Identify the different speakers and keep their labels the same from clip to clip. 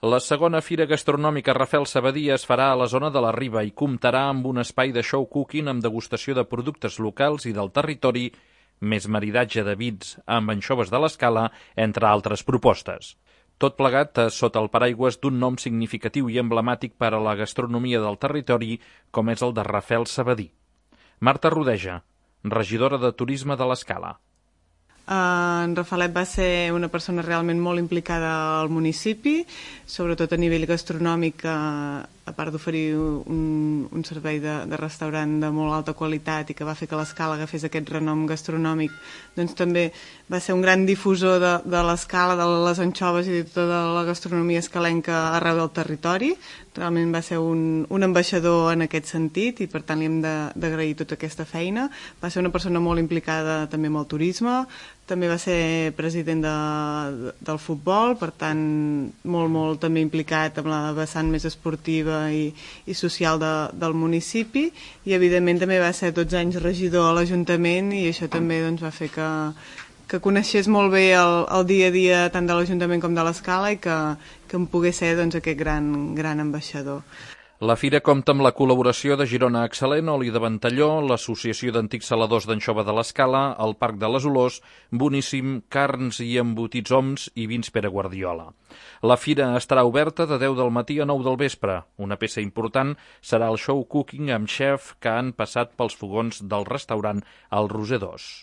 Speaker 1: La segona fira gastronòmica Rafael Sabadí es farà a la zona de la Riba i comptarà amb un espai de show cooking amb degustació de productes locals i del territori, més maridatge de vins amb anxoves de l'Escala, entre altres propostes. Tot plegat sota el paraigües d'un nom significatiu i emblemàtic per a la gastronomia del territori, com és el de Rafael Sabadí. Marta Rodeja, regidora de Turisme de l'Escala.
Speaker 2: En Rafaelet va ser una persona realment molt implicada al municipi, sobretot a nivell gastronòmic, a part d'oferir un servei de restaurant de molt alta qualitat i que va fer que l'Escala agafés aquest renom gastronòmic, doncs també va ser un gran difusor de l'Escala, de les anxoves i de tota la gastronomia escalenca arreu del territori. Realment va ser un ambaixador en aquest sentit i per tant li hem d'agrair tota aquesta feina. Va ser una persona molt implicada també amb el turisme, també va ser president del futbol, per tant molt també implicat amb la vessant més esportiva i social del municipi, i evidentment també va ser 12 anys regidor a l'Ajuntament i això també doncs, va fer que coneixés molt bé el dia a dia tant de l'Ajuntament com de l'Escala i que en pogués ser doncs, aquest gran ambaixador.
Speaker 1: La fira compta amb la col·laboració de Girona Excel·lent, Oli de Ventalló, l'Associació d'Antics Saladors d'Anxova de l'Escala, el Parc de les Olors, Boníssim, Carns i Embotits Oms i Vins Pere Guardiola. La fira estarà oberta de 10 del matí a 9 del vespre. Una peça important serà el show cooking amb xef que han passat pels fogons del restaurant El Roser 2.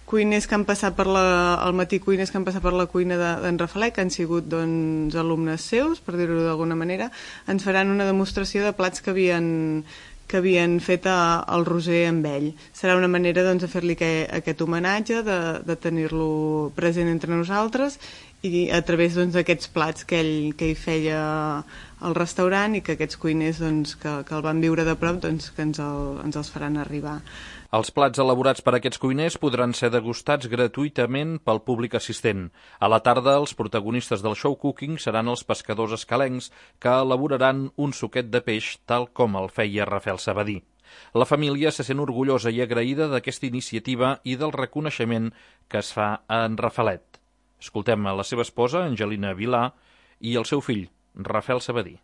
Speaker 2: Cuiners que han passat al matí, cuiners que han passat per la cuina d'en Rafaelet, que han sigut doncs, alumnes seus, per dir-ho d'alguna manera, ens faran una demostració de plats que havien fet al Roser amb ell. Serà una manera doncs, de fer-li aquest homenatge, de tenir-lo present entre nosaltres i a través d'aquests plats que ell feia al restaurant i que aquests cuiners doncs, que el van viure de prop doncs, que ens els faran arribar.
Speaker 1: Els plats elaborats per aquests cuiners podran ser degustats gratuïtament pel públic assistent. A la tarda, els protagonistes del show cooking seran els pescadors escalencs que elaboraran un suquet de peix tal com el feia Rafael Sabadí. La família se sent orgullosa i agraïda d'aquesta iniciativa i del reconeixement que es fa a en Rafaelet. Escoltem a la seva esposa, Angelina Vilà, i el seu fill, Rafael Sabadí.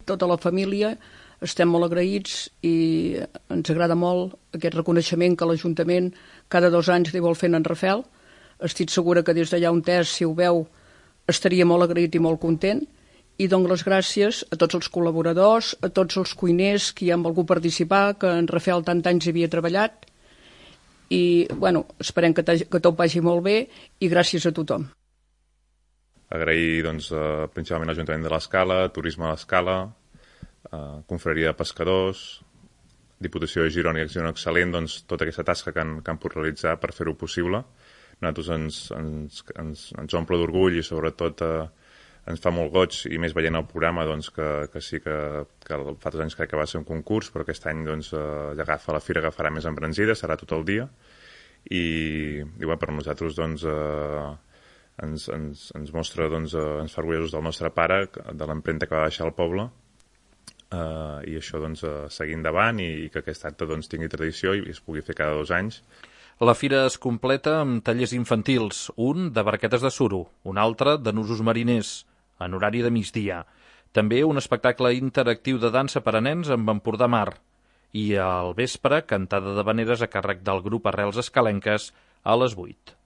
Speaker 3: Tota la família estem molt agraïts i ens agrada molt aquest reconeixement que l'Ajuntament cada 2 anys li vol fer en Rafael. Estic segura que des d'allà on és, si ho veu, estaria molt agraït i molt content. I dono les gràcies a tots els col·laboradors, a tots els cuiners que hi han volgut participar, que en Rafael tant anys havia treballat. I esperem que tot vagi molt bé i gràcies a tothom.
Speaker 4: Agrair principalment a l'Ajuntament de l'Escala, Turisme de l'Escala, Confraria de Pescadors, Diputació de Girona i Acció Excel·lent, tota aquesta tasca que han pogut realitzar per fer-ho possible. Nosaltres ens omple d'orgull i sobretot ens fa molt goig, i més veient el programa que sí que fa 2 anys crec que va ser un concurs, però aquest any la fira agafarà més embranzida, serà tot el dia i per nosaltres ens mostra, ens fa orgullosos del nostre pare, de l'empremta que va deixar al poble, i això seguir endavant i que aquest acte tingui tradició i es pugui fer cada 2 anys.
Speaker 1: La fira es completa amb tallers infantils, un de barquetes de suro, un altre de nusos mariners, en horari de migdia. També un espectacle interactiu de dansa per a nens amb Empordà Mar i al vespre cantada d'havaneres a càrrec del grup Arrels Escalenques a les 8.